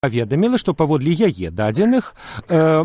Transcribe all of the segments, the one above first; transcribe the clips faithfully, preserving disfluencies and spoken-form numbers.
паведаміла, што паводле яе дадзеных э,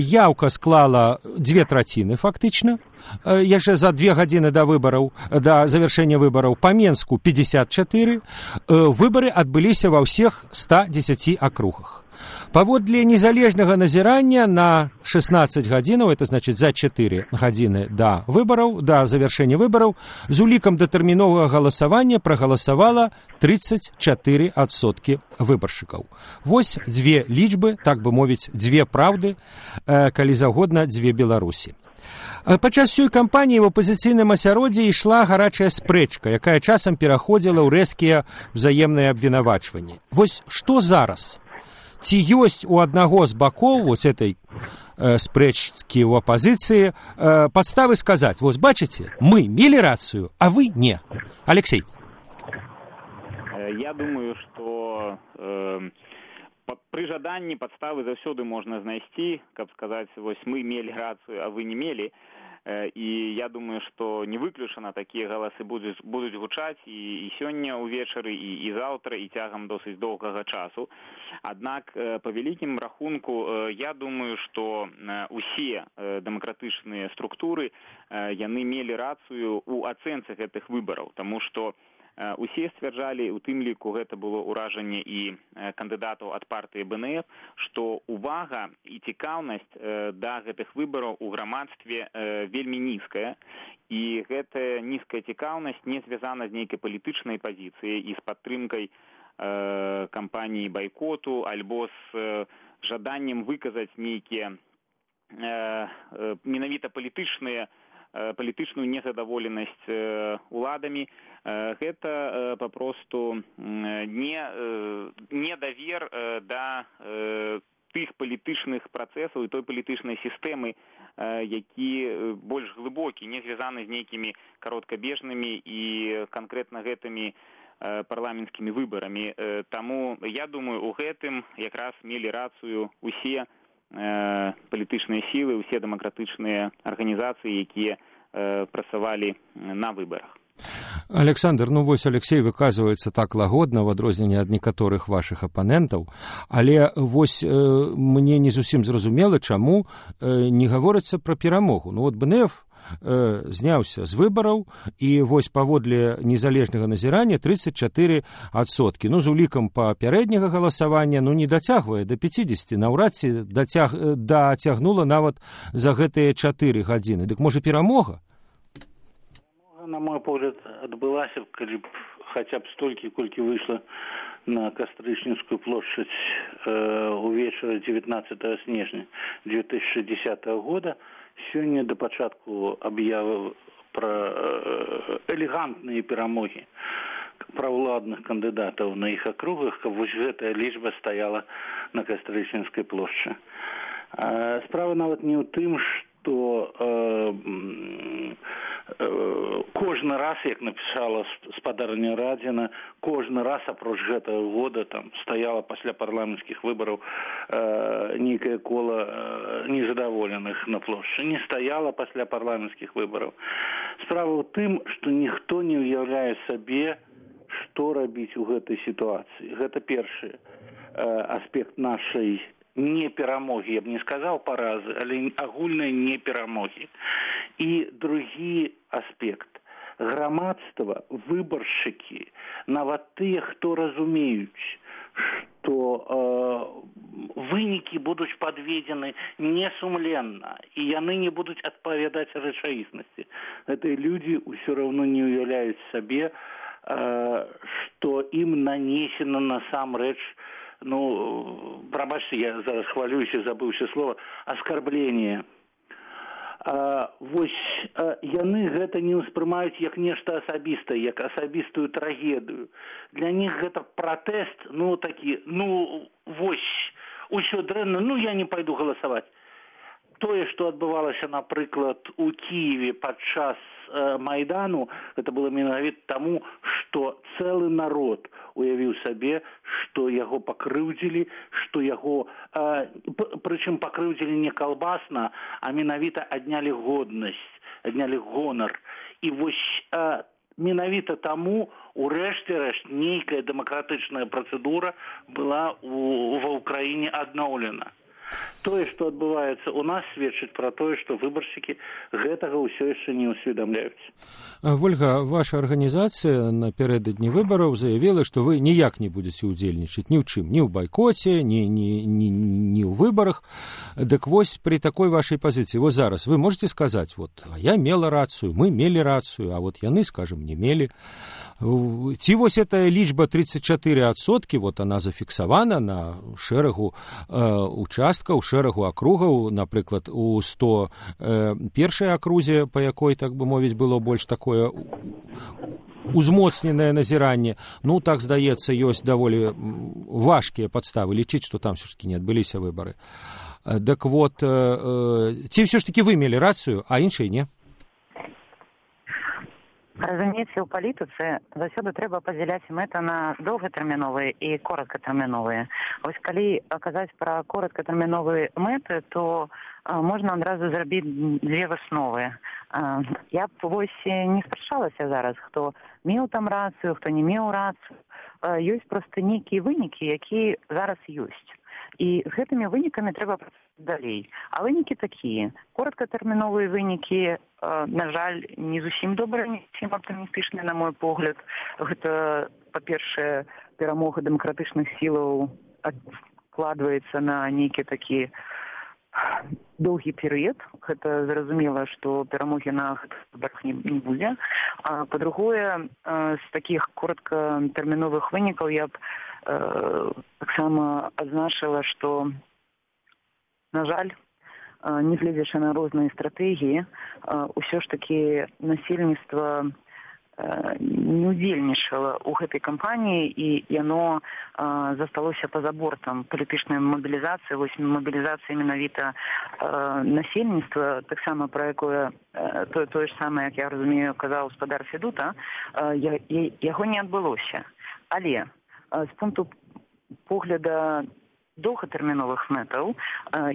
яўка склала дзве траціны фактычна, э, яшчэ за две гадзіны да выбараў, да завяршэння выбараў па Менску пятьдесят четыре, э, выбары адбыліся ва ўсіх ста дзесяці акругах. Паводле незалежнага назірання на шестнадцать гадзінаў, это значыць за чатыры гадзіны да выбараў, да завяршэння выбараў, з улікам датэрміновага галасавання прагаласавала тридцать четыре адсоткі выбаршчыкаў. Вось дзве лічбы, так бы мовіць, дзве праўды, калі загодна, дзве Беларусі. Падчас сёй кампаніі ў апазіцыйным асяроддзі ішла гарачая спрэчка, якая часам пераходзіла ў рэзкія ўзаемныя абвінавачванні. Вось што зараз? Ці ёсць у аднаго з бакоў вось этой э, спрэчкі ў апазіцыі э, падставы сказаць, вось бачыце, мы мелі рацыю, а вы не. Алексей. Я думаю, што э, пры жаданні падставы заўсёды можна знайсці, каб сказаць, вось мы мелі рацыю, а вы не мелі. І я думаю, што не выключана такія галасы будуць, будуць гучаць і, і сёння ўвечары, і, і заўтра, і цягам досыць доўгага часу. Аднак, па вялікім рахунку, я думаю, што усе дэмакратычныя структуры, яны мелі рацыю ў ацэнцы гэтых выбараў, таму што усе сцвярджалі, у тым ліку гэта было ўражанне і кандыдатаў ад партыі бэ эн эф, што увага і цікаўнасць да гэтых выбараў у грамадстве вельмі нізкая, і гэтая нізкая цікаўнасць не звязана з нейкай палітычнай пазіцыяй і з падтрымкай кампаніі байкоту альбо з жаданнем выказаць нейкія менавіта палітычныя палітычную незадаволенасць уладамі. Гэта папросту не недавер да тых палітычных працэсаў і той палітычнай сістэмы, які больш глыбокі, не звязаны з нейкімі кароткабежнымі і канкрэтна гэтымі парламенцкімі выбарамі. Таму я думаю, у гэтым якраз мелі рацыю усе палітычныя сілы, усе дэмакратычныя арганізацыі, якія працавалі на выбарах. Александр, ну вось Алексей выказваецца так лагодна в адрозненні ад некаторых вашых апанентаў, але вось э, мне не зусім зразумела, чаму э, не гаворыцца пра перамогу. Ну вот бэ эн эф э, зняўся з выбараў, і вось паводле незалежнага назірання тридцать четыре адсоткі. Ну з улікам папярэдняга галасавання ну не дацягвае да пятидесяти, наўрад ці дацяг, дацягнула нават за гэтыя чатыры гадзіны. Дык можа перамога? На мой погляд, адбылася, калі б хаця б столькі, колькі выйшла на Кастрычніцкую плошчадь э, увечары дзевятнаццатага снежня две тысячи десятого года. Сёння да пачатку аб'явы пра э, элегантныя перамогі правладных кандыдатаў на іх акругах, каб вось гэтая лічба стаяла на Кастрычніцкай плошчы. Э, справа нават не ў тым, што э, кожны раз, як напісала спадарня Радзіна, кожны раз апроч гэтага года там стаяла пасля парламенцкіх выбараў э, нейкае кола э, незадаволеных на плошчы. Не стаяла пасля парламенцкіх выбараў. Справа ў тым, што ніхто не ўяўляе сабе, што рабіць у гэтай сітуацыі. Гэта першы э, аспект нашай не перамогі, я б не сказаў паразы, але агульнай не перамогі. І другі аспект. Грамадства, выбаршчыкі, нават тыя, хто разумеюць, што э, вынікі будуць падведзены несумленна, і яны не будуць адпавядаць рэчаіснасці. Гэтыя людзі ўсё роўно не ўяўляюць сабе, э, што ім нанесена насамрэч, ну, прабачце, я зараз хвалююся, забыўся слова, аскарбление. А, вось а, яны гэта не ўспрымаюць як нешта асабістае, як асабістую трагедыю. Для них гэта пратэст, ну, такі, ну, вось, усё дрэнна, ну, я не пайду галасаваць. Тое, што адбывалася, напрыклад, у Кіеве падчас э, Майдану, гэта было менавіта таму, што цэлы народ уявіў сабе, што яго пакрыўдзілі, што яго, э, прычым пакрыўдзілі не калбасна, а менавіта аднялі годнасць, аднялі гонар. І вось э, менавіта таму у рэшце рэшт нейкая дэмакратычная працэдура была у, ва ўкраіне адноўлена. Тое, што адбываецца у нас, сведчыць пра тое, што выбаршчыкі гэтага ўсё яшчэ не ўсведамляюць. Вольга, ваша арганізацыя напярэдадні выбараў заявіла, што вы ніяк не будзеце ўдзельнічаць ні ў чым, ні ў байкоце, ні, ні, ні, ні ў выбарах. Дык вось пры такой вашай пазіцыі, вось зараз вы можете сказаць, вот, а я мела рацыю, мы мелі рацыю, а вот яны, скажем, не мелі. Ці вось эта лічба тридцать четыре адсоткі, вот она зафіксавана на шэрагу э, участкаў, шэрагу акругаў, напрыклад, у сто першай акрузе, па якой, так бы мовіць, было больш такое узмоцненае назіранне. Ну, так, здаецца, ёсць даволі важкія падставы лічыць, што там все ж таки не адбыліся выбары. Так вот, э, ці все ж таки вы мелі рацыю, а іншыя не? Разумеется, у палітыцы заўсёды трэба падзяляць мэты на доўгатэрміновыя і кораткатэрміновыя. Вось калі казаць пра кораткатэрміновыя мэты, то а, можна адразу зрабіць дзве высновы. А, я б вось не спрачалася зараз, хто меў там рацыю, хто не меў рацыю. А, ёсць проста нейкія вынікі, якія зараз ёсць. І гэтымі вынікамі трэба працаваць далей. А вынікі такія. Кораткатэрміновыя вынікі, на жаль, не зусім добрыя, не зусім аптымістычныя, на мой погляд. Гэта, па-першае, перамога дэмакратычных сілаў адкладваецца на нейкі такі доўгі перыяд. Гэта зразумела, што перамогі на выбарах не, не будзе. А па-другое, з такіх кораткатэрміновых вынікаў я б э, таксама адзначыла, што, на жаль, нягледзячы на розныя стратэгіі, ўсё ж такі насельніцтва не ўдзельнічала ў гэтай кампаніі, і яно засталося па-за бортам палітычнай мабілізацыі, вось мабілізацыя менавіта насельніцтва, таксама пра якое тое, тое ж самае, як я разумею, казаў гаспадар Федута, яго не адбылося. Але з пункту погляда доўгатэрміновых мэтаў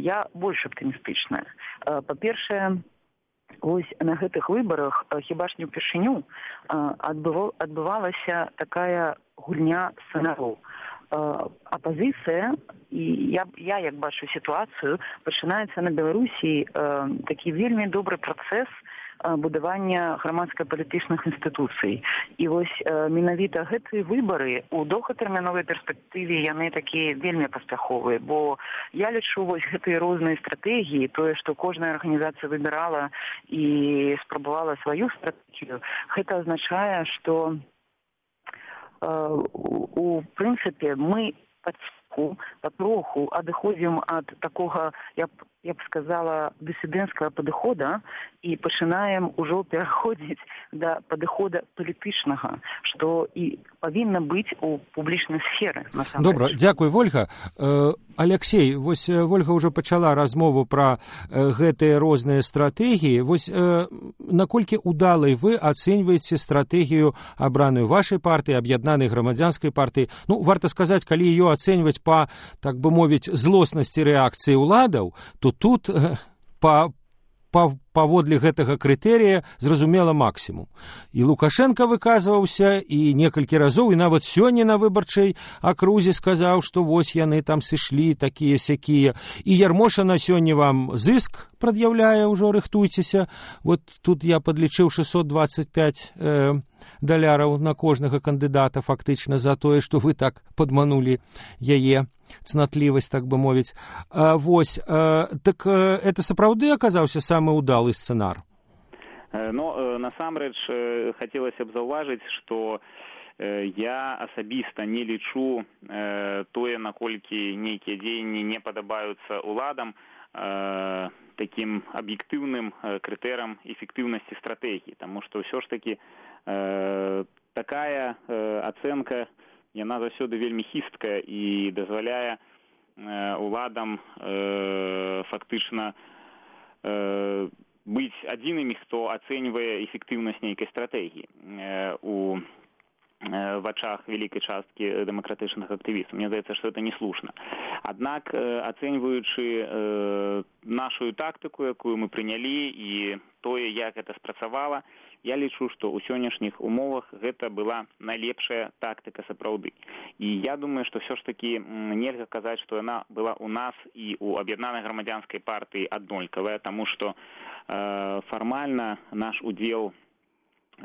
я больш аптымістычная. Па-першае, вось на гэтых выбарах хіба ж не ўпершыню адбывалася такая гульня сцэнароў. Апазіцыя, і я, я як бачу сітуацыю, пачынаецца на Беларусі такі вельмі добры працэс будавання грамадска-палітычных інстытуцый. І вось менавіта гэтыя выбары ў доўгатэрміновай перспектыве яны такія вельмі паспяховыя, бо я лічу вось гэтыя розныя стратэгіі, тое, што кожная арганізацыя выбірала і спрабавала сваю стратэгію, гэта азначае, што у прынцыпе мы патроху, патроху адыходзім ад такога, я б, я б сказала, дысідэнцкага падыхода і пачынаем ужо пераходзіць да падыхода палітычнага, што і павінна быць у публічнай сферы. Добра, дзякуй, Вольга. Алексей, вось Вольга ўжо пачала размову пра гэтыя розныя стратэгіі. Вось наколькі удалай вы ацэньваеце стратэгію, абраную вашай партыі, аб'яднанай грамадзянскай партыі? Ну, варта сказаць, калі ее ацэньваць па, так бы мовіць, злоснасці рэакцыі ўладаў, то тут па паводле гэтага крытэрыя зразумела максімум. І Лукашенко выказваўся, і некалькі разоў, і нават сёння на выбарчай акрузе сказаў, што вось яны там сышлі, такія-сякія. І Ярмошына сёння вам зыск прад'яўляе, ўжо рыхтуйцеся. Вот тут я падлічыў шэсцьсот дваццаць пяць э, даляраў на кожнага кандыдата фактычна за тое, што вы так падманулі яе цнатлівасць, так бы мовіць. А, вось, а, так а, это сапраўды аказаўся самы ўдалы сцэнар? Ну, насамрэч, хацелася б заўважыць, што я асабіста не лічу тое, наколькі нейкія дзеянні не падабаюцца ўладам, такім аб'ектыўным крытэрам эфектыўнасці стратэгіі, таму што ўсё ж такі такая ацэнка, яна заўсёды вельмі хісткая і дазваляе уладам э, фактычна э, быць адзінымі, хто ацэньвае эфектыўнасць нейкай стратэгіі э, у э, вачах вялікай часткі дэмакратычных актывістаў. Мне здаецца, што гэта не слушна. Аднак, э, ацэньваючы э, нашу тактыку, якую мы прынялі, і тое, як гэта спрацавала, я лічу, што ў сённяшніх умовах гэта была найлепшая тактыка сапраўды. І я думаю, што ўсё ж такі нельга казаць, што яна была ў нас і ў аб'яднанай грамадзянскай партыі аднолькавая, таму што э, фармальна наш удзел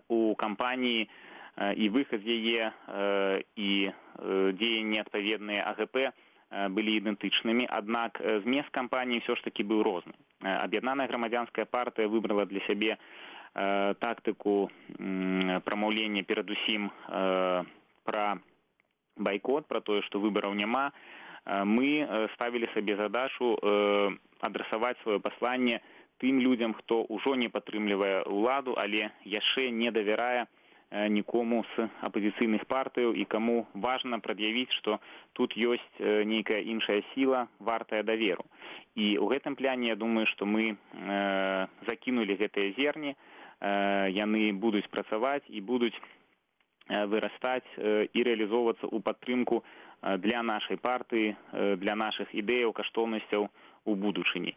у кампаніі э, і выхад з яе э, і э, дзеянні адпаведныя А Г П былі ідэнтычнымі, аднак змест кампаніі ўсё ж такі быў розны. Аб'яднаная грамадзянская партыя выбрала для сябе э, тактыку э, прамаўлення перадусім э, пра байкот, пра тое, што выбараў няма. Э, мы ставілі сабе задачу э, адрасаваць сваё пасланне тым людзям, хто ўжо не падтрымлівае ўладу, але яшчэ не давярае нікому з апозіцыйных партыяў і каму важна прад'явіць, што тут ёсць нейкая іншая сіла, вартая даверу. І ў гэтым пляне, я думаю, што мы э, закінулі гэтыя зерні, э, яны будуць працаваць і будуць э, вырастаць э, і рэалізоўвацца ў падтрымку э, для нашай партыі, э, для нашых ідэяў, каштоўнасцяў у будучыні.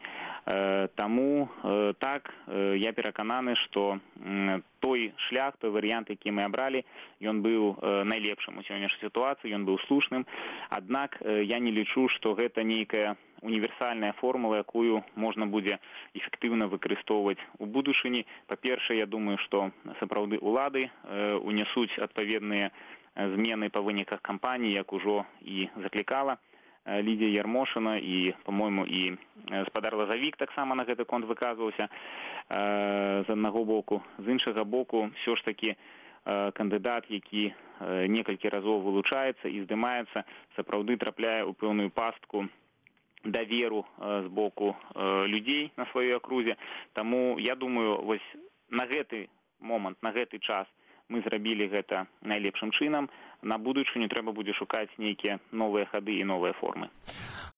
Э, таму э, так э, я перакананы, што э, той шлях, той варыянт, які мы абралі, ён быў э, найлепшым у сённяшняй сітуацыі, ён быў слушным. Аднак э, я не лічу, што гэта нейкая універсальная формула, якую можна будзе эфектыўна выкарыстоўваць у будучыні. Па-першае, я думаю, што сапраўды ўлады э, унясуць адпаведныя змены па выніках кампаніі, як ужо і заклікала Лідія Ярмошына і, по-мойму, і спадар Лазавік таксама на гэты конт выказваўся э, з аднаго боку. З іншага боку, ўсё ж такі э, кандыдат, які э, некалькі разоў вылучаецца і здымаецца, сапраўды трапляе ў пэўную пастку даверу э, з боку э, людзей на сваёй акрузе. Таму, я думаю, вось на гэты момант, на гэты час мы зрабілі гэта найлепшым чынам. На будучыню трэба будзе шукаць нейкія новыя хады і новыя формы.